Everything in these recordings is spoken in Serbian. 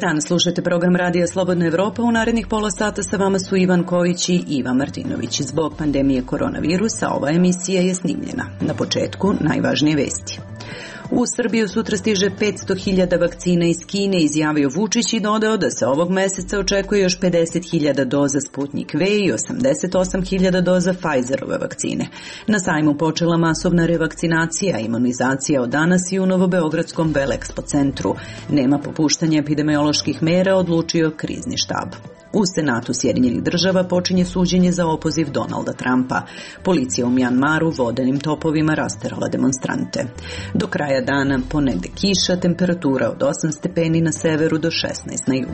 Dan, slušajte program Radija Slobodna Evropa. U narednih pola sata sa vama su Ivan Kojić i Iva Martinović. Zbog pandemije koronavirusa ova emisija je snimljena. Na početku najvažnije vesti. U Srbiju sutra stiže 500.000 vakcina iz Kine, izjavio Vučić i dodao da se ovog meseca očekuje još 50.000 doza Sputnik V i 88.000 doza Pfizerove vakcine. Na sajmu počela masovna revakcinacija, imunizacija od danas i u Novobeogradskom Velexpo centru. Nema popuštanja epidemioloških mera, odlučio krizni štab. U Senatu Sjedinjenih država počinje suđenje za opoziv Donalda Trumpa. Policija u Mjanmaru vodenim topovima rasterala demonstrante. Do kraja dana ponegde kiša, temperatura od 8 stepeni na severu do 16 na jugu.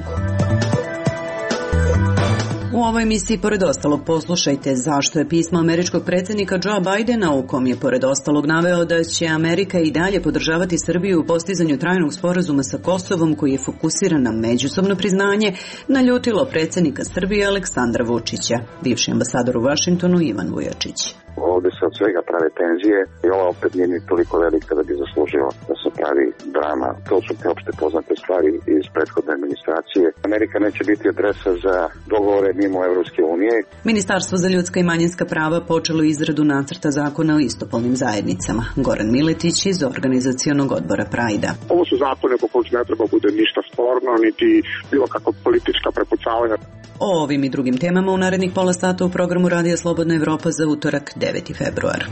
U ovoj emisiji, pored ostalog, poslušajte zašto je pismo američkog predsjednika Joea Bidena, u kom je pored ostalog naveo da će Amerika i dalje podržavati Srbiju u postizanju trajnog sporazuma sa Kosovom koji je fokusiran na međusobno priznanje, naljutilo predsjednika Srbije Aleksandra Vučića. Bivši ambasador u Vašingtonu Ivan Vujačić. Ovdje se od svega prave tenzije i ova opet nije ni toliko velika da bi zaslužila da se pravi drama. To su te opšte poznate stvari iz prethodne administracije. Amerika neće biti adresa za dogovore mimo Evropske unije. Ministarstvo za ljudska i manjinska prava počelo izradu nacrta zakona o istopolnim zajednicama. Goran Miletić iz organizacionog odbora Prajda. Ovo su zakone po kojih ne treba bude ništa sporno, niti bilo kako politička prepucavanja. O ovim i drugim temama u narednih pola sata u programu Radija Slobodna Evropa za utorak 9. februar.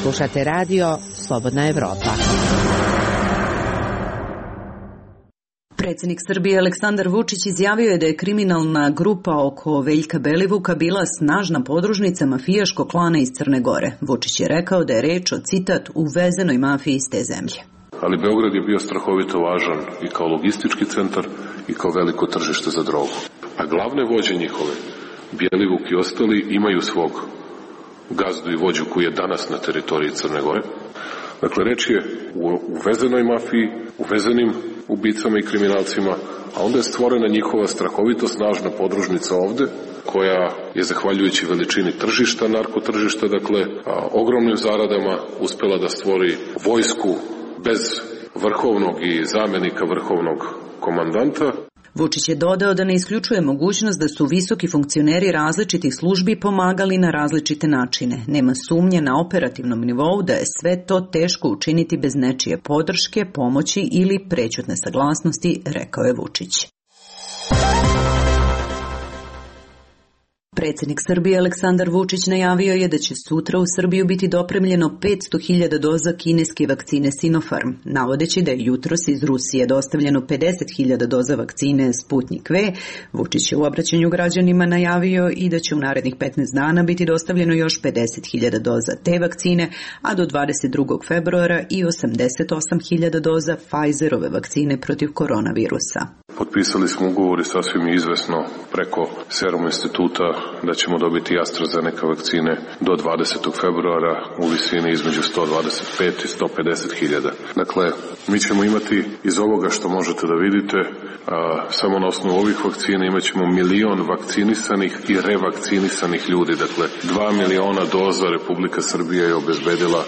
Slušate radio Slobodna Evropa. Predsjednik Srbije Aleksandar Vučić izjavio je da je kriminalna grupa oko Veljka Belivuka bila snažna podružnica mafijaškog klana iz Crne Gore. Vučić je rekao da je reč o, citat, uvezenoj mafiji iz te zemlje. Ali Beograd je bio strahovito važan i kao logistički centar i kao veliko tržište za drogu. A glavne vođe njihove, Bjelivuk i ostali, imaju svog gazdu i vođu koji je danas na teritoriji Crne Gore. Dakle, reč je u uvezenoj mafiji, uvezenim ubicama i kriminalcima, a onda je stvorena njihova strahovito snažna podružnica ovde, koja je, zahvaljujući veličini tržišta, narkotržišta, dakle, ogromnim zaradama uspela da stvori vojsku bez vrhovnog i zamenika vrhovnog komandanta. Vučić je dodao da ne isključuje mogućnost da su visoki funkcioneri različitih službi pomagali na različite načine. Nema sumnje na operativnom nivou da je sve to teško učiniti bez nečije podrške, pomoći ili prećutne saglasnosti, rekao je Vučić. Predsjednik Srbije Aleksandar Vučić najavio je da će sutra u Srbiju biti dopremljeno 500.000 doza kineske vakcine Sinopharm, navodeći da je jutros iz Rusije dostavljeno 50.000 doza vakcine Sputnik V. Vučić je u obraćanju građanima najavio i da će u narednih 15 dana biti dostavljeno još 50.000 doza te vakcine, a do 22. februara i 88.000 doza Pfizerove vakcine protiv koronavirusa. Potpisali smo ugovor i sasvim je izvesno preko Serum instituta da ćemo dobiti AstraZeneca vakcine do 20. februara u visini između 125 i 150.000. Dakle, mi ćemo imati iz ovoga što možete da vidite, samo na osnovu ovih vakcina imat ćemo 1 milion vakcinisanih i revakcinisanih ljudi. Dakle, 2 miliona doza Republika Srbija je obezbedila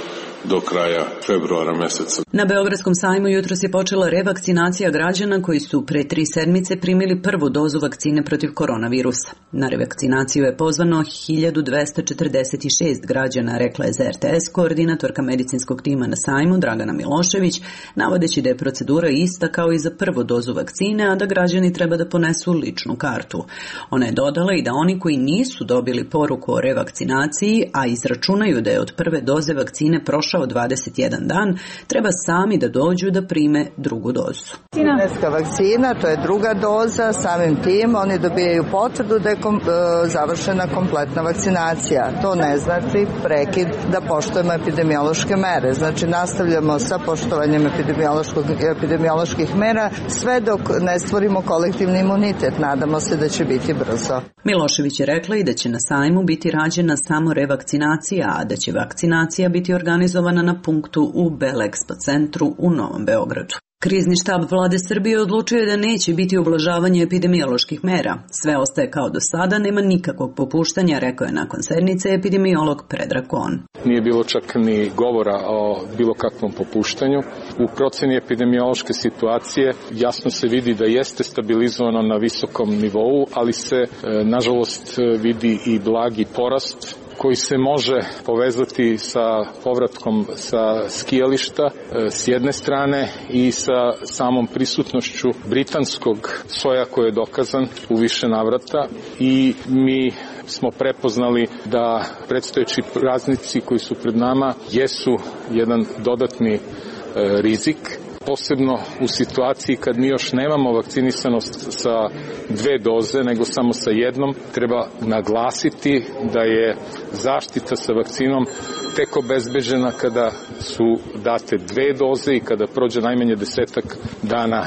do kraja februara meseca. Na Beogradskom sajmu jutros je počela revakcinacija građana koji su pre 3 sedmice primili prvu dozu vakcine protiv koronavirusa. Na revakcinaciju je pozvano 1246 građana, rekla je za RTS koordinatorka medicinskog tima na sajmu Dragana Milošević, navodeći da je procedura ista kao i za prvu dozu vakcine, a da građani treba da ponesu ličnu kartu. Ona je dodala i da oni koji nisu dobili poruku o revakcinaciji, a izračunaju da je od prve doze vakcine prošao 21 dan, treba sami da dođu da prime drugu dozu. Kineska vakcina, to je druga doza, samim tim oni dobijaju potvrdu da je završena kompletna vakcinacija. To ne znači prekid da poštujemo epidemiološke mere. Znači nastavljamo sa poštovanjem epidemioloških mera sve dok ne stvorimo kolektivni imunitet. Nadamo se da će biti brzo. Milošević je rekla i da će na sajmu biti rađena samo revakcinacija, a da će vakcinacija biti organizovana na punktu u Velexpo centru u Novom Beogradu. Krizni štab vlade Srbije odlučio je da neće biti ublažavanje epidemioloških mera. Sve ostaje kao do sada, nema nikakvog popuštanja, rekao je nakon sednice epidemiolog Predrag Kon. Nije bilo čak ni govora o bilo kakvom popuštanju. U proceni epidemiološke situacije jasno se vidi da jeste stabilizovano na visokom nivou, ali se nažalost vidi i blagi porast koji se može povezati sa povratkom sa skijališta s jedne strane i sa samom prisutnošću britanskog soja koji je dokazan u više navrata i mi smo prepoznali da predstojeći praznici koji su pred nama jesu jedan dodatni rizik, posebno u situaciji kad mi još nemamo vakcinisanost sa 2 doze, nego samo sa jednom. Treba naglasiti da je zaštita sa vakcinom tek obezbeđena kada su date 2 doze i kada prođe najmanje 10 dana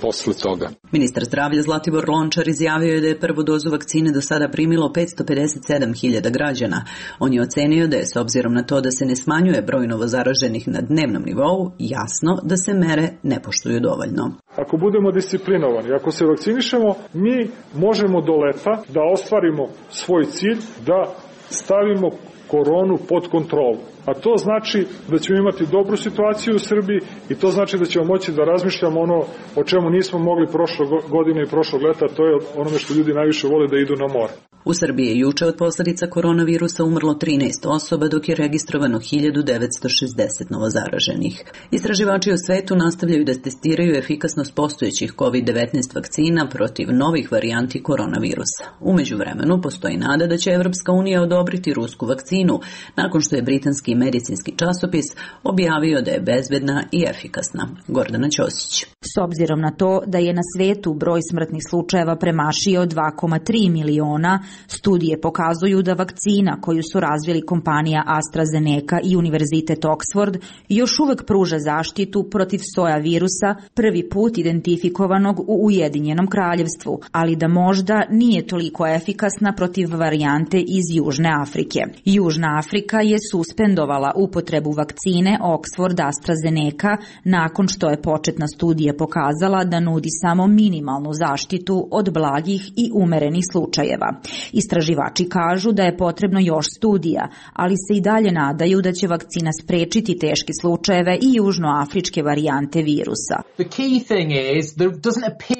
posle toga. Ministar zdravlja Zlatibor Lončar izjavio je da je prvu dozu vakcine do sada primilo 557.000 građana. On je ocenio da je, s obzirom na to da se ne smanjuje broj novozaraženih na dnevnom nivou, jasno da se mere ne poštuju dovoljno. Ako budemo disciplinovani, ako se vakcinišemo, mi možemo do leta da ostvarimo svoj cilj, da stavimo koronu pod kontrolu. A to znači da ćemo imati dobru situaciju u Srbiji i to znači da ćemo moći da razmišljamo ono o čemu nismo mogli prošle godine i prošlog leta, to je onome što ljudi najviše vole, da idu na more. U Srbiji je juče od posljedica koronavirusa umrlo 13 osoba, dok je registrovano 1960 novozaraženih. Istraživači u svetu nastavljaju da testiraju efikasnost postojećih COVID-19 vakcina protiv novih varijanti koronavirusa. U međuvremenu postoji nada da će Evropska unija odobriti rusku vakcinu, nakon što je britanski medicinski časopis objavio da je bezbedna i efikasna. Gordana Ćosić. S obzirom na to da je na svetu broj smrtnih slučajeva premašio 2,3 miliona, studije pokazuju da vakcina koju su razvili kompanija AstraZeneca i Univerzitet Oxford još uvek pruža zaštitu protiv soja virusa, prvi put identifikovanog u Ujedinjenom kraljevstvu, ali da možda nije toliko efikasna protiv varijante iz Južne Afrike. Južna Afrika je suspendovala upotrebu vakcine Oxford AstraZeneca nakon što je početna studija pokazala da nudi samo minimalnu zaštitu od blagih i umerenih slučajeva. Istraživači kažu da je potrebno još studija, ali se i dalje nadaju da će vakcina sprečiti teške slučajeve i južnoafričke varijante virusa.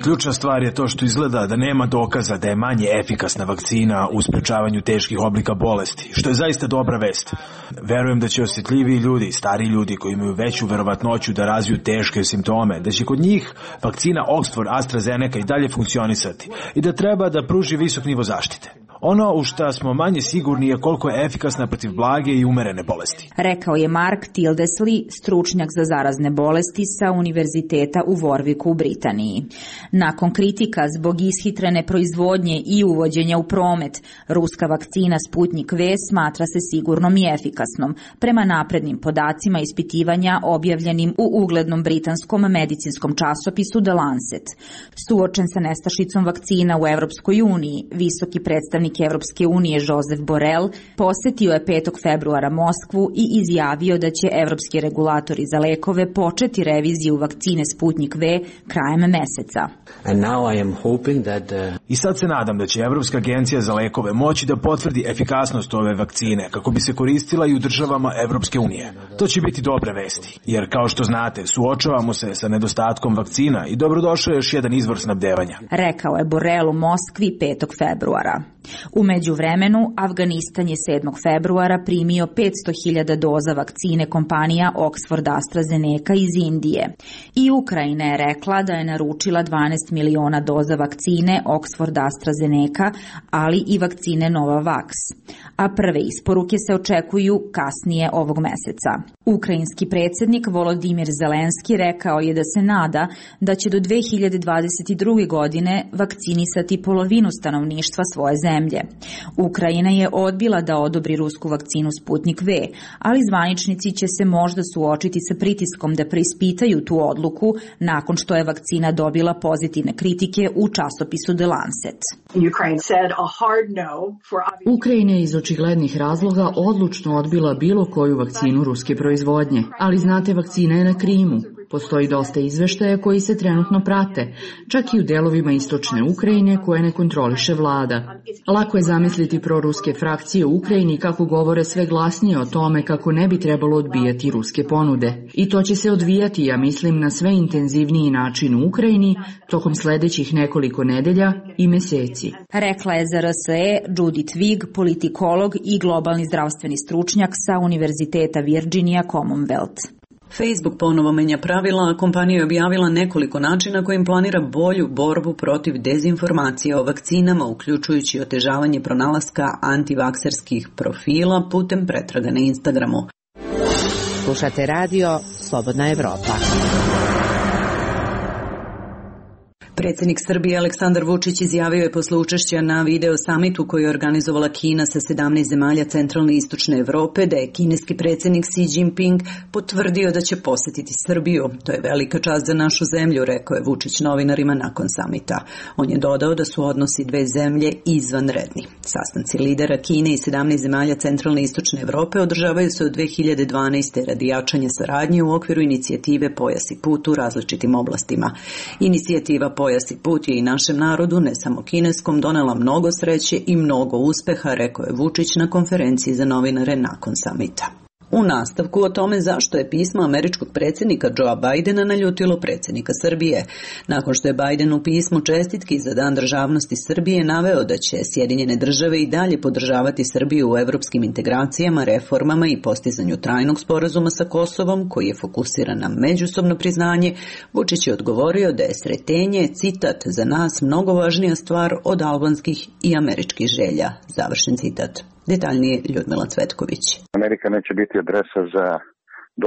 Ključna stvar je to što izgleda da nema dokaza da je manje efikasna vakcina u sprečavanju teških oblika bolesti, što je zaista dobra vest. Verujem da će osjetljiviji ljudi, stari ljudi koji imaju veću verovatnoću da razviju teške simptome, da će kod njih vakcina Oxford AstraZeneca i dalje funkcionisati i da treba da pruži visok nivo zaštite. Ono u šta smo manje sigurni je koliko je efikasna protiv blage i umerene bolesti. Rekao je Mark Tildesley, stručnjak za zarazne bolesti sa Univerziteta u Warwicku u Britaniji. Nakon kritika zbog ishitrene proizvodnje i uvođenja u promet, ruska vakcina Sputnik V smatra se sigurnom i efikasnom, prema naprednim podacima ispitivanja objavljenim u uglednom britanskom medicinskom časopisu The Lancet. Suočen sa nestašicom vakcina u Evropskoj uniji, visoki predstavnik Evropske unije Josep Borrell posetio je 5. februara Moskvu i izjavio da će evropski regulatori za lekove početi reviziju vakcine Sputnik V krajem meseca. I sad se nadam da će Evropska agencija za lekove moći da potvrdi efikasnost ove vakcine kako bi se koristila i u državama Evropske unije. To će biti dobre vesti, jer kao što znate, suočavamo se sa nedostatkom vakcina i dobrodošao je još jedan izvor snabdevanja. Rekao je Borrell u Moskvi 5. februara. U međuvremenu, Afganistan je 7. februara primio 500.000 doza vakcine kompanija Oxford AstraZeneca iz Indije. I Ukrajina je rekla da je naručila 12 miliona doza vakcine Oxford AstraZeneca, ali i vakcine Novavax. A prve isporuke se očekuju kasnije ovog meseca. Ukrajinski predsjednik Volodimir Zelenski rekao je da se nada da će do 2022. godine vakcinisati polovinu stanovništva svoje zemlje. Ukrajina je odbila da odobri rusku vakcinu Sputnik V, ali zvaničnici će se možda suočiti sa pritiskom da preispitaju tu odluku nakon što je vakcina dobila pozitivne kritike u časopisu The Lancet. Ukrajina je iz očiglednih razloga odlučno odbila bilo koju vakcinu ruske proizvodnje, ali znate, vakcina je na Krimu. Postoji dosta izveštaja koji se trenutno prate, čak i u delovima istočne Ukrajine koje ne kontroliše vlada. Lako je zamisliti proruske frakcije u Ukrajini kako govore sve glasnije o tome kako ne bi trebalo odbijati ruske ponude. I to će se odvijati, ja mislim, na sve intenzivniji način u Ukrajini tokom sledećih nekoliko nedelja i meseci. Rekla je za RSE Judith Wig, politikolog i globalni zdravstveni stručnjak sa Univerziteta Virginia Commonwealth. Facebook ponovo menja pravila, a kompanija je objavila nekoliko načina kojim planira bolju borbu protiv dezinformacija o vakcinama, uključujući otežavanje pronalaska antivakserskih profila putem pretraga na Instagramu. Slušate radio Slobodna Evropa. Predsjednik Srbije Aleksandar Vučić izjavio je posle učešća na video samitu koji je organizovala Kina sa 17 zemalja centralne i istočne Evrope da je kineski predsjednik Xi Jinping potvrdio da će posetiti Srbiju. To je velika čast za našu zemlju, rekao je Vučić novinarima nakon samita. On je dodao da su odnosi dve zemlje izvanredni. Sastanci lidera Kine i 17 zemalja centralne i istočne Evrope održavaju se od 2012. radi jačanja saradnje u okviru inicijative Pojas i put u različitim oblastima. Inicijativa Pojas i put je i našem narodu, ne samo kineskom, donela mnogo sreće i mnogo uspeha, rekao je Vučić na konferenciji za novinare nakon samita. U nastavku o tome zašto je pismo američkog predsjednika Joea Bidena naljutilo predsjednika Srbije. Nakon što je Biden u pismu čestitki za Dan državnosti Srbije naveo da će Sjedinjene države i dalje podržavati Srbiju u evropskim integracijama, reformama i postizanju trajnog sporazuma sa Kosovom, koji je fokusiran na međusobno priznanje, Vučić je odgovorio da je sretenje, citat, za nas mnogo važnija stvar od albanskih i američkih želja. Završen citat. Detaljnije Ljudmila Cvetković. Amerika neće biti adresa za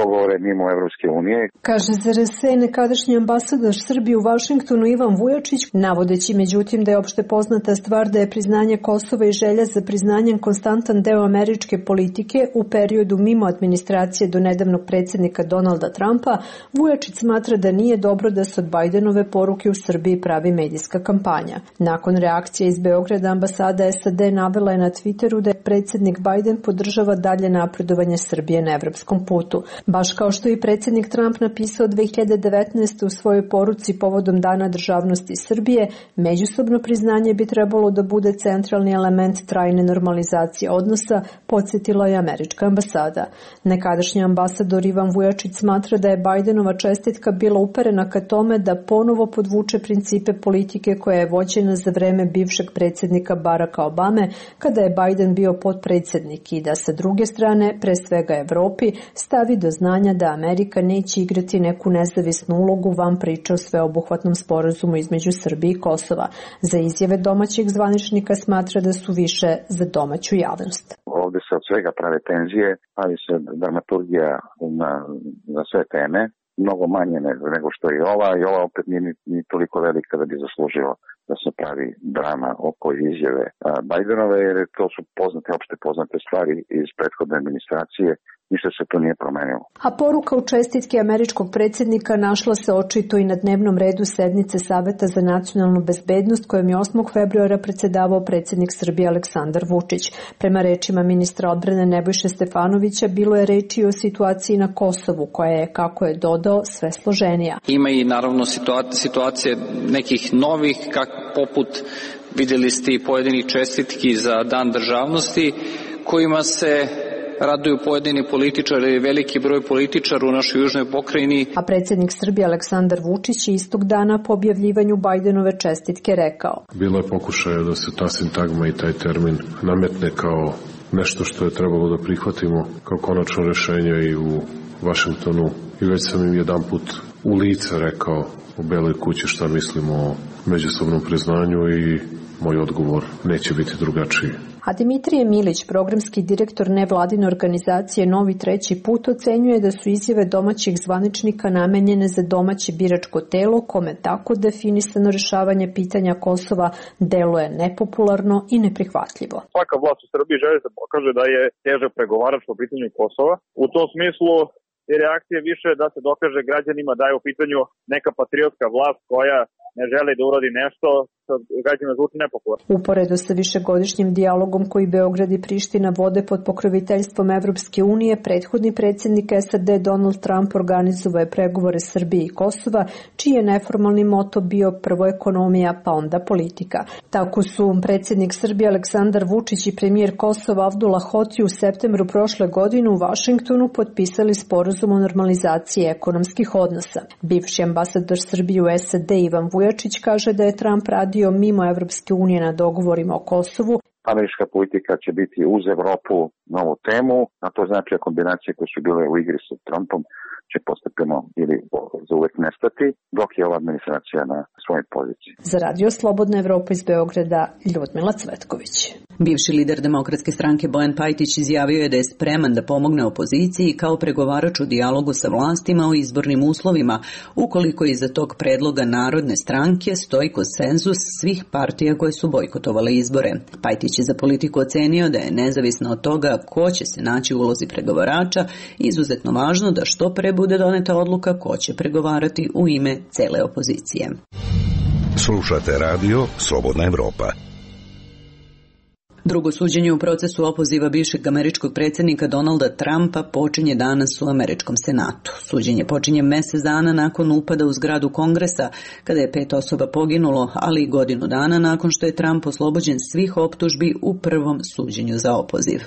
dogovore mimo Evropske unije. Kaže za RSE nekadašnji ambasador Srbije u Vašingtonu Ivan Vujačić, navodeći međutim da je opšte poznata stvar da je priznanje Kosova i želja za priznanjem konstantan deo američke politike u periodu mimo administracije do nedavnog predsjednika Donalda Trumpa, Vujačić smatra da nije dobro da se od Bidenove poruke u Srbiji pravi medijska kampanja. Nakon reakcije iz Beograda, ambasada SAD navela je na Twitteru da je predsjednik Biden podržava dalje napredovanje Srbije na evropskom putu. Baš kao što je i predsjednik Trump napisao 2019. u svojoj poruci povodom Dana državnosti Srbije, međusobno priznanje bi trebalo da bude centralni element trajne normalizacije odnosa, podsjetila je američka ambasada. Nekadašnji ambasador Ivan Vujačić smatra da je Bidenova čestitka bila uperena ka tome da ponovo podvuče principe politike koja je vođena za vreme bivšeg predsjednika Baracka Obame, kada je Biden bio potpredsjednik, i da sa druge strane, pre svega Evropi, stavi do znanja da Amerika neće igrati neku nezavisnu ulogu van priče o sveobuhvatnom sporazumu između Srbije i Kosova. Za izjave domaćeg zvaničnika smatra da su više za domaću javnost. Ovde se od svega prave tenzije, ali se dramaturgija na sve teme, mnogo manje nego što je ova, i ova opet nije ni toliko velika da bi zaslužila da se pravi drama oko izjave Bidenove, jer to su opšte poznate stvari iz prethodne administracije. Ništa se to nije promenilo. A poruka u čestitke američkog predsjednika našla se očito i na dnevnom redu sednice Saveta za nacionalnu bezbednost kojom je 8. februara predsjedavao predsjednik Srbije Aleksandar Vučić. Prema rečima ministra odbrane Nebojše Stefanovića, bilo je reči o situaciji na Kosovu, koja je, kako je dodao, sve složenija. Ima i naravno situacije nekih novih, poput, vidjeli ste i pojedinih čestitki za Dan državnosti, kojima se raduju pojedini političari, veliki broj političara u našoj južnoj pokrajini. A predsjednik Srbije Aleksandar Vučić istog dana po objavljivanju Bidenove čestitke rekao: Bilo je pokušaja da se ta sintagma i taj termin nametne kao nešto što je trebalo da prihvatimo kao konačno rešenje i u Vašingtonu. I već sam im jedanput u lice rekao u Beloj kući šta mislimo o međusobnom priznanju i moj odgovor neće biti drugačiji. A Dimitrije Milić, programski direktor nevladine organizacije Novi treći put, ocenjuje da su izjave domaćih zvaničnika namenjene za domaće biračko telo, kome tako definisano rešavanje pitanja Kosova deluje nepopularno i neprihvatljivo. Svaka vlast u Srbiji želi da pokaže da je težak pregovarač po pitanju Kosova. U tom smislu je reakcija više da se dokaže građanima da je u pitanju neka patriotska vlast koja ne želi da uradi nešto građanima zvuči nepopularno. Uporedo sa višegodišnjim dijalogom koji Beograd i Priština vode pod pokroviteljstvom Evropske unije, prethodni predsjednik SAD Donald Trump organizovao je pregovore Srbije i Kosova, čiji je neformalni moto bio prvo ekonomija, pa onda politika. Tako su predsjednik Srbije Aleksandar Vučić i premijer Kosova Avdullah Hoti u septembru prošle godine u Vašingtonu potpisali sporazum o normalizaciji ekonomskih odnosa. Bivši ambasador Srbije u SAD Ivan Vujačić kaže da je Trump radio mimo Evropske unije na dogovorima o Kosovu. Američka politika će biti uz Evropu novu temu, a to znači da kombinacije koje su bile u igri sa Trumpom će postepeno ili za uvek nestati, dok je ova administracija na svojoj poziciji. Za Radio Slobodna Evropa iz Beograda, Ljudmila Cvetković. Bivši lider Demokratske stranke Bojan Pajtić izjavio je da je spreman da pomogne opoziciji kao pregovarač u dijalogu sa vlastima o izbornim uslovima, ukoliko iza tog predloga Narodne stranke stoji konsenzus svih partija koje su bojkotovale izbore. Pajtić je za Politiku ocenio da je nezavisno od toga ko će se naći u ulozi pregovarača izuzetno važno da što pre bude doneta odluka ko će pregovarati u ime cele opozicije. Slušate radio Slobodna Evropa. Drugo suđenje u procesu opoziva bivšeg američkog predsjednika Donalda Trumpa počinje danas u američkom senatu. Suđenje počinje mjesec dana nakon upada u zgradu Kongresa, kada je 5 osoba poginulo, ali i godinu dana nakon što je Trump oslobođen svih optužbi u prvom suđenju za opoziv.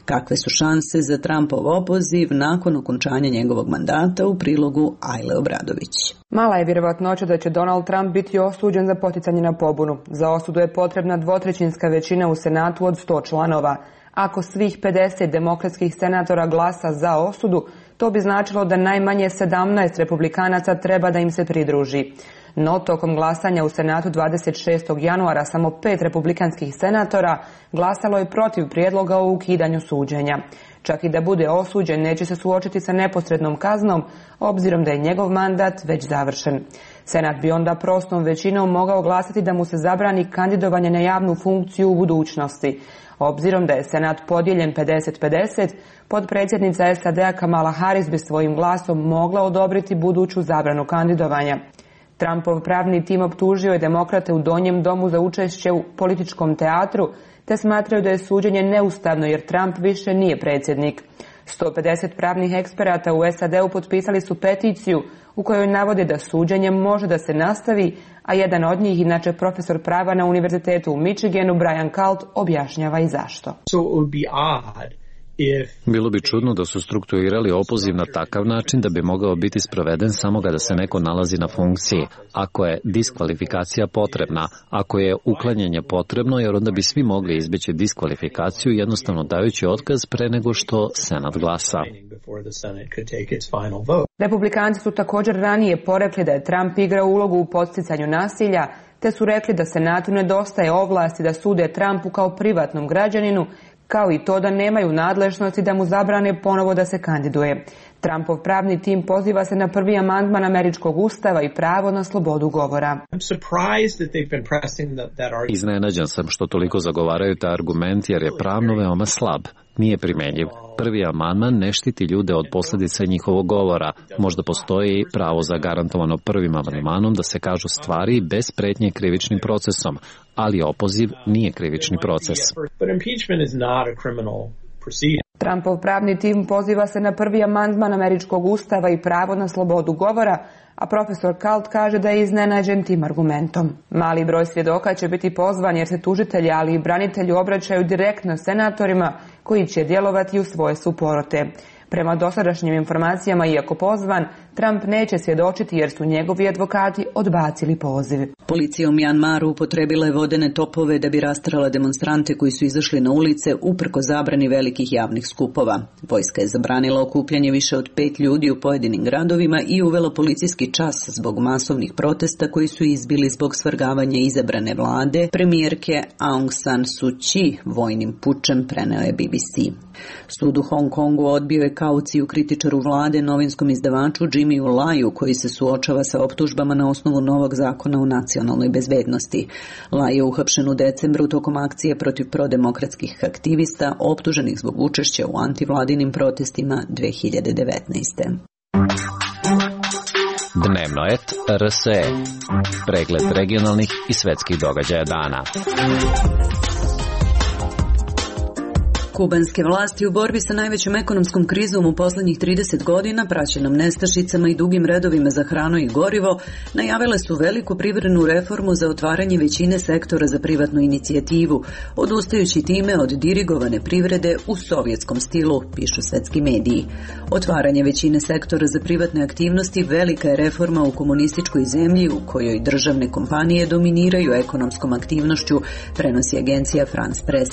Kakve su šanse za Trumpov opoziv nakon okončanja njegovog mandata, u prilogu Ajle Obradović. Mala je vjerovatnoća da će Donald Trump biti osuđen za poticanje na pobunu. Za osudu je potrebna dvotrećinska većina u Senatu od 100 članova. Ako svih 50 demokratskih senatora glasa za osudu, to bi značilo da najmanje 17 republikanaca treba da im se pridruži. No, tokom glasanja u Senatu 26. januara samo 5 republikanskih senatora glasalo je protiv prijedloga o ukidanju suđenja. Čak i da bude osuđen, neće se suočiti sa neposrednom kaznom, obzirom da je njegov mandat već završen. Senat bi onda prostom većinom mogao glasati da mu se zabrani kandidovanje na javnu funkciju u budućnosti. Obzirom da je Senat podijeljen 50-50, potpredsjednica SAD-a Kamala Harris bi svojim glasom mogla odobriti buduću zabranu kandidovanja. Trumpov pravni tim optužio je demokrate u Donjem domu za učešće u političkom teatru, te smatraju da je suđenje neustavno jer Trump više nije predsjednik. 150 pravnih eksperata u SAD-u potpisali su peticiju u kojoj navode da suđenje može da se nastavi, a jedan od njih, inače profesor prava na Univerzitetu u Michiganu, Brian Kalt, objašnjava i zašto. Bilo bi čudno da su strukturirali opoziv na takav način da bi mogao biti sproveden samo kada se neko nalazi na funkciji, ako je diskvalifikacija potrebna, ako je uklanjanje potrebno, jer onda bi svi mogli izbeći diskvalifikaciju jednostavno dajući otkaz pre nego što Senat glasa. Republikanci su također ranije porekli da je Trump igrao ulogu u podsticanju nasilja, te su rekli da Senatu nedostaje ovlasti da sude Trumpu kao privatnom građaninu, kao i to da nemaju nadležnosti da mu zabrane ponovo da se kandiduje. Trumpov pravni tim poziva se na prvi amandman američkog ustava i pravo na slobodu govora. Iznenađen sam što toliko zagovaraju taj argument jer je pravno veoma slab. Nije primenjiv. Prvi amandman ne štiti ljude od posljedica njihovog govora. Možda postoji pravo zagarantovano prvim amandmanom da se kažu stvari bez pretnje krivičnim procesom, ali opoziv nije krivični proces. Trumpov pravni tim poziva se na prvi amandman američkog ustava i pravo na slobodu govora, a profesor Kalt kaže da je iznenađen tim argumentom. Mali broj svjedoka će biti pozvan jer se tužitelji, ali i branitelji obraćaju direktno senatorima koji će djelovati u svoje suporote. Prema dosadašnjim informacijama, iako pozvan, Trump neće svjedočiti jer su njegovi advokati odbacili poziv. Policija u Mjanmaru upotrebila je vodene topove da bi rastrala demonstrante koji su izašli na ulice uprko zabrani velikih javnih skupova. Vojska je zabranila okupljanje više od 5 ljudi u pojedinim gradovima i uvela policijski čas zbog masovnih protesta koji su izbili zbog svrgavanja izabrane vlade premijerke Aung San Suu Kyi vojnim pučem, preneo je BBC. Sud u Hong Kongu odbio je kauciju kritičaru vlade, novinskom izdavaču Jimmyu Laju, koji se suočava sa optužbama na osnovu novog zakona o nacionalnoj bezbednosti. Lai je uhapšen u decembru tokom akcije protiv prodemokratskih aktivista optuženih zbog učešća u antivladinim protestima 2019. Dnevnoet.rs. Pregled regionalnih i svetskih događaja dana. Kubanske vlasti u borbi sa najvećom ekonomskom krizom u poslednjih 30 godina, praćenom nestašicama i dugim redovima za hranu i gorivo, najavile su veliku privrednu reformu za otvaranje većine sektora za privatnu inicijativu, odustajući time od dirigovane privrede u sovjetskom stilu, pišu svetski mediji. Otvaranje većine sektora za privatne aktivnosti velika je reforma u komunističkoj zemlji u kojoj državne kompanije dominiraju ekonomskom aktivnošću, prenosi agencija France Press.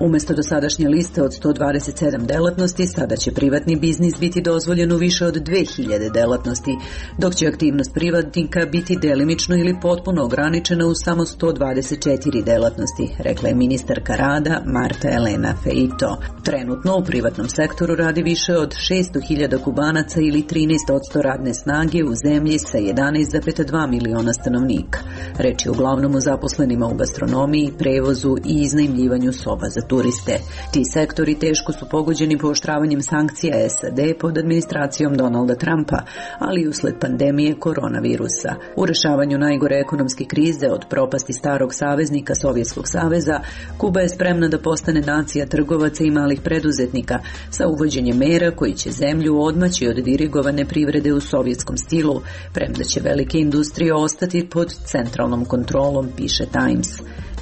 Umesto dosadašnje liste od 127 delatnosti, sada će privatni biznis biti dozvoljen u više od 2000 delatnosti, dok će aktivnost privatnika biti delimično ili potpuno ograničena u samo 124 delatnosti, rekla je ministarka rada Marta Elena Feito. Trenutno u privatnom sektoru radi više od 600.000 Kubanaca ili 13% radne snage u zemlji sa 11,2 miliona stanovnika. Reč je uglavnom o zaposlenima u gastronomiji, prevozu i iznajmljivanju soba za turiste. Ti sektori teško su pogođeni pooštravanjem sankcija SAD pod administracijom Donalda Trumpa, ali i usled pandemije koronavirusa. U rešavanju najgore ekonomske krize od propasti starog saveznika Sovjetskog saveza, Kuba je spremna da postane nacija trgovaca i malih preduzetnika sa uvođenjem mera koji će zemlju odmaći od dirigovane privrede u sovjetskom stilu, premda će velike industrije ostati pod centralnom kontrolom, piše Times.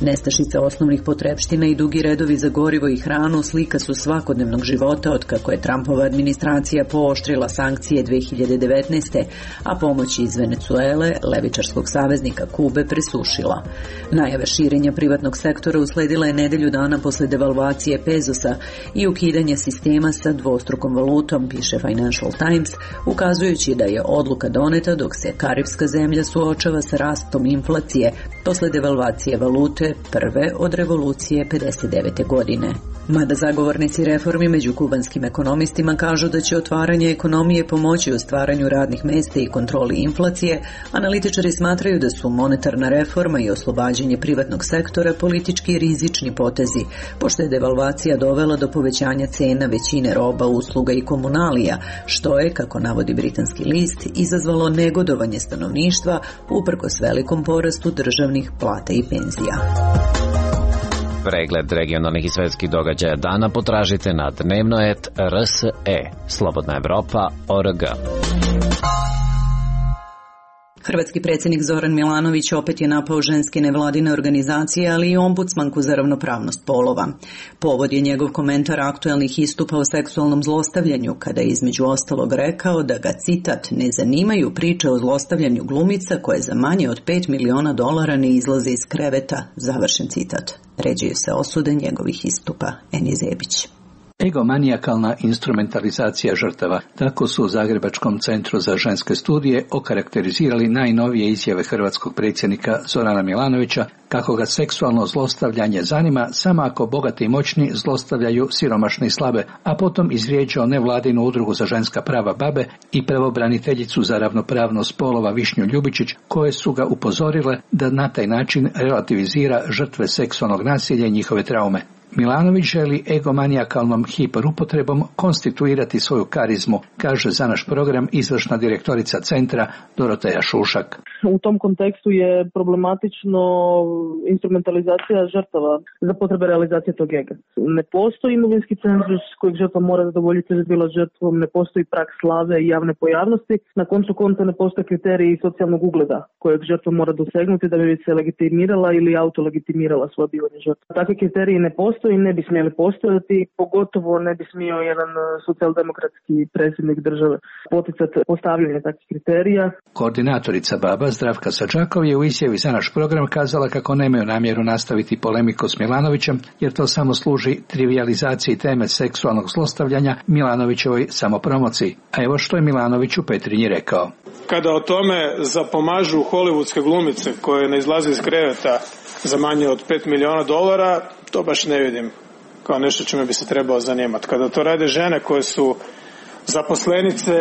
Nestašica osnovnih potrepština i dugi redovi za gorivo i hranu slika su svakodnevnog života od kako je Trumpova administracija pooštrila sankcije 2019. a pomoć iz Venecuele, levičarskog saveznika Kube, presušila. Najave širenja privatnog sektora usledila je nedelju dana posle devalvacije pezosa i ukidanja sistema sa dvostrukom valutom, piše Financial Times, ukazujući da je odluka doneta dok se karipska zemlja suočava sa rastom inflacije posle devalvacije valute prve od revolucije 59. godine. Mada zagovornici reformi među kubanskim ekonomistima kažu da će otvaranje ekonomije pomoći u stvaranju radnih mesta i kontroli inflacije, analitičari smatraju da su monetarna reforma i oslobađanje privatnog sektora politički rizični potezi, pošto je devalvacija dovela do povećanja cena većine roba, usluga i komunalija, što je, kako navodi britanski list, izazvalo negodovanje stanovništva uprkos velikom porastu državnih plata i penzija. Pregled regionalnih i svetskih događaja dana potražite na Dnevnoet.rs. Slobodna Evropa.org. Hrvatski predsjednik Zoran Milanović opet je napao ženske nevladine organizacije, ali i ombudsmanku za ravnopravnost polova. Povod je njegov komentar aktuelnih istupa o seksualnom zlostavljanju, kada je između ostalog rekao da ga, citat, ne zanimaju priče o zlostavljanju glumica koje za manje od $5 miliona ne izlaze iz kreveta, završen citat. Ređuju se osude njegovih istupa, Eni Zebić. Egomanijakalna instrumentalizacija žrtava. Tako su u Zagrebačkom centru za ženske studije okarakterizirali najnovije izjave hrvatskog predsjednika Zorana Milanovića kako ga seksualno zlostavljanje zanima samo ako bogati i moćni zlostavljaju siromašne i slabe, a potom izvrijeđao nevladinu udrugu za ženska prava BaBe i pravobraniteljicu za ravnopravnost spolova Višnju Ljubičić, koje su ga upozorile da na taj način relativizira žrtve seksualnog nasilja i njihove traume. Milanović želi egomanijakalnom hiperupotrebom konstituirati svoju karizmu, kaže za naš program izvršna direktorica centra Doroteja Šušak. U tom kontekstu je problematično instrumentalizacija žrtava za potrebe realizacije tog ega. Ne postoji imovinski cenzus kojeg žrtva mora zadovoljiti da je bila žrtvom, ne postoji prag slave i javne pojavnosti, na koncu konca ne postoje kriteriji socijalnog ugleda kojeg žrtva mora dosegnuti da bi se legitimirala ili autolegitimirala svoje bivanje žrtva. Takvi kriteriji ne postoji i ne bi smjeli postojati, pogotovo ne bi smio jedan socijaldemokratski predsjednik države poticati postavljanje takvih kriterija. Koordinatorica BaBa Zdravka Sađakov je u izjavi za naš program kazala kako nemaju namjeru nastaviti polemiku s Milanovićem, jer to samo služi trivializaciji teme seksualnog zlostavljanja Milanovićevoj samopromociji. A evo što je Milanović u Petrinji rekao. Kada o tome zapomažu hollywoodske glumice koje ne izlaze iz kreveta za manje od $5 miliona, to baš ne vidim kao nešto čime bi se trebao zanimati. Kada to rade žene koje su zaposlenice,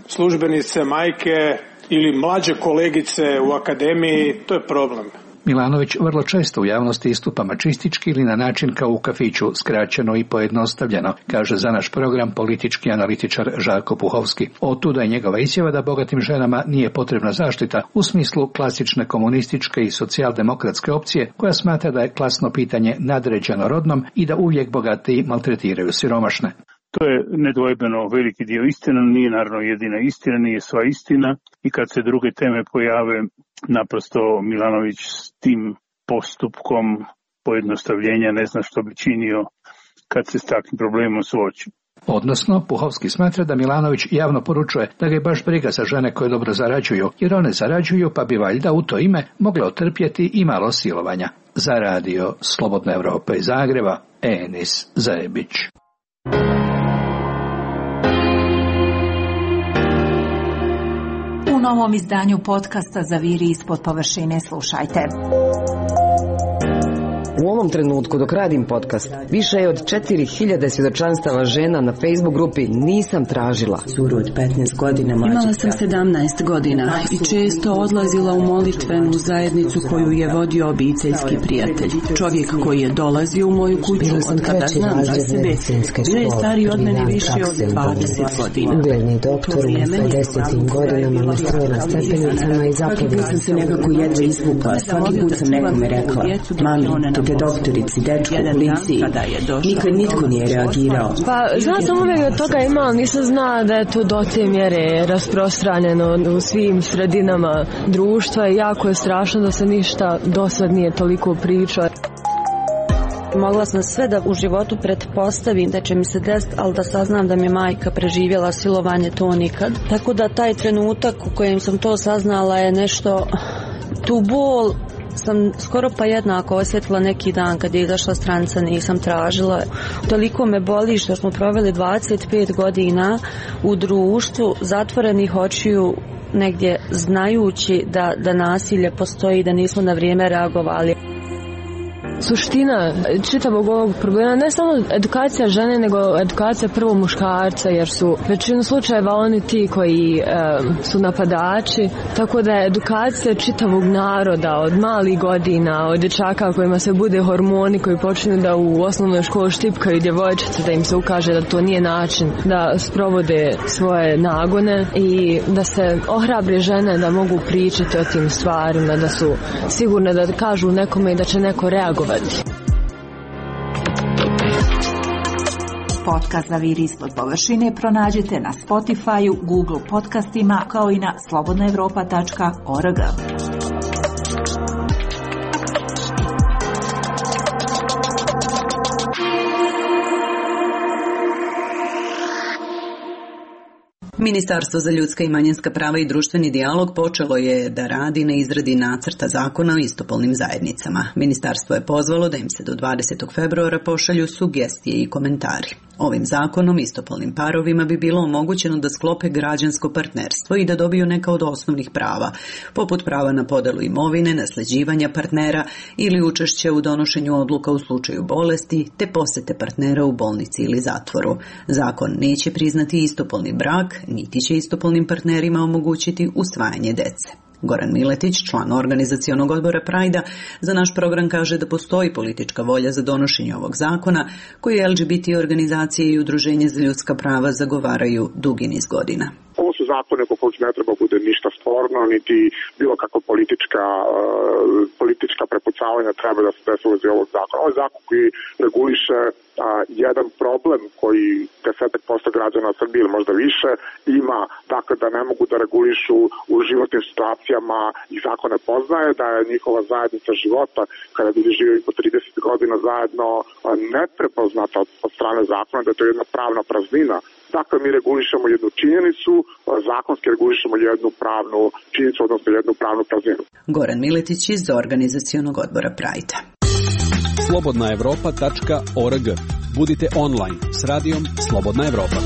službenice, majke ili mlađe kolegice u akademiji, to je problem. Milanović vrlo često u javnosti istupa mačistički ili na način kao u kafiću, skraćeno i pojednostavljeno, kaže za naš program politički analitičar Žarko Puhovski. Otuda je njegova izjava da bogatim ženama nije potrebna zaštita u smislu klasične komunističke i socijaldemokratske opcije koja smatra da je klasno pitanje nadređeno rodnom i da uvijek bogatiji maltretiraju siromašne. To je nedvojbeno veliki dio istina, nije naravno jedina istina, nije sva istina i kad se druge teme pojave, naprosto Milanović s tim postupkom pojednostavljenja ne zna što bi činio kad se s takvim problemom suoči. Odnosno, Puhovski smatra da Milanović javno poručuje da ga je baš briga za žene koje dobro zarađuju, jer one zarađuju pa bi valjda u to ime mogle otrpjeti i malo silovanja. Za radio Slobodna Evropa iz Zagreba, Enis Zajebić. U novom izdanju podcasta Zaviri ispod površine slušajte. U ovom trenutku dok radim podcast, više je od 4000 svjedočanstava žena na Facebook grupi nisam tražila. Curu od 15 godina mlađe. Imala sam 17 godina i često odlazila u molitvenu zajednicu koju je vodio obiteljski prijatelj. Čovjek koji je dolazio u moju kuću od kada znam za sebe, bio je stariji od mene više od 20 godina. Ugledni doktor u 50. godinama me stroje na stepenicama i Svaki put sam se nekako jedva izvukla. Svaki put sam nekome rekla, mami, te doktorici, dečku, policiji. Nikad nitko nije reagirao. Pa, znala sam uvijek da toga ima, ali nisam znala da je to do te mjere rasprostranjeno u svim sredinama društva i jako je strašno da se ništa do sad nije toliko pričao. Mogla sam sve da u životu pretpostavim da će mi se desiti, ali da saznam da mi je majka preživjela silovanje, to nikad. Tako da taj trenutak u kojem sam to saznala je nešto, tu bol sam skoro pa jednako osjetila neki dan kad je izašla stranica, nisam tražila. Toliko me boli što smo proveli 25 godina u društvu zatvorenih očiju, negdje znajući da nasilje postoji i da nismo na vrijeme reagovali. Suština čitavog ovog problema ne samo edukacija žene, nego edukacija prvo muškarca, jer su većinu slučajeva oni ti koji su napadači, tako da je edukacija čitavog naroda od malih godina, od dječaka kojima se bude hormoni, koji počinju da u osnovnoj školi štipkaju djevojčice, da im se ukaže da to nije način da sprovode svoje nagone i da se ohrabre žene da mogu pričati o tim stvarima, da su sigurne da kažu nekome i da će neko reagovati. Podcast Zaviri ispod površine pronađete na Spotify-u, Google podcastima kao i na slobodnaevropa.org. Ministarstvo za ljudska i manjinska prava i društveni dijalog počelo je da radi na izradi nacrta zakona o istopolnim zajednicama. Ministarstvo je pozvalo da im se do 20. februara pošalju sugestije i komentari. Ovim zakonom istopolnim parovima bi bilo omogućeno da sklope građansko partnerstvo i da dobiju neka od osnovnih prava, poput prava na podelu imovine, nasljeđivanja partnera ili učešće u donošenju odluka u slučaju bolesti, te posjete partnera u bolnici ili zatvoru. Zakon neće priznati istopolni brak, niti će istopolnim partnerima omogućiti usvajanje dece. Goran Miletić, član organizacionog odbora Prajda, za naš program kaže da postoji politička volja za donošenje ovog zakona, koji LGBT organizacije i udruženje za ljudska prava zagovaraju dugi niz godina. Ovo su zakone po kojima ne treba bude ništa sporno, niti bilo kakva politička prepucavanja treba da se desi u vezi ovog zakona. Ovo je zakon koji reguliše jedan problem koji 10% građana Srbije ili možda više ima, dakle da ne mogu da regulišu u životnim situacijama i zakon ne poznaje, da je njihova zajednica života kada ljudi žive po 30 godina zajedno neprepoznata od strane zakona, da je to jedna pravna praznina. Dakle, mi regulišemo jednu činjenicu, zakonski regulišemo jednu pravnu činjenicu, odnosno jednu pravnu prazninu. Goran Miletić iz organizacionog odbora Prajda. slobodnaevropa.org. Budite online s radijom Slobodna Evropa.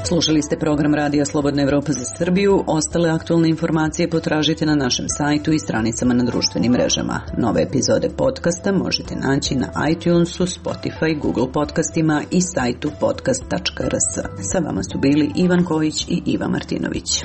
Slušali ste program Radija Slobodna Evropa za Srbiju. Ostale aktualne informacije potražite na našem sajtu i stranicama na društvenim mrežama. Nove epizode podcasta možete naći na iTunesu, Spotify, Google podcastima i sajtu podcast.rs. Sa vama su bili Ivan Kojić i Iva Martinović.